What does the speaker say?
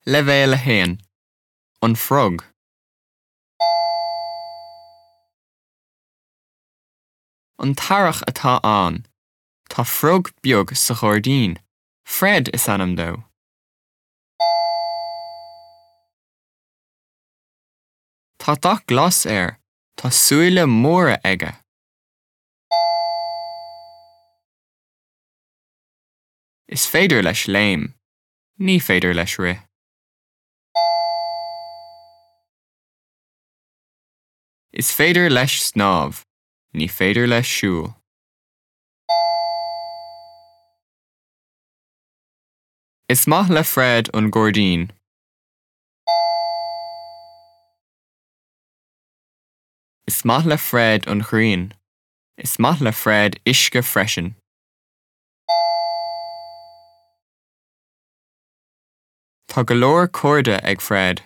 Leibhéal 1, An Frog. An t-earrach atá ann. Tá frog beag sa ghairdín. Fred is ainm dó. Tá dath glas air. Tá súile móra aige. Is féidir leis léim. Ní féidir leis rith. Is féidir leis snámh. Ní féidir leis siúl. Is maith le Fred an gairdín. Is maith le Fred an ghrian. Is maith le Fred uisce freisin. Tá go leor cairde ag Fred.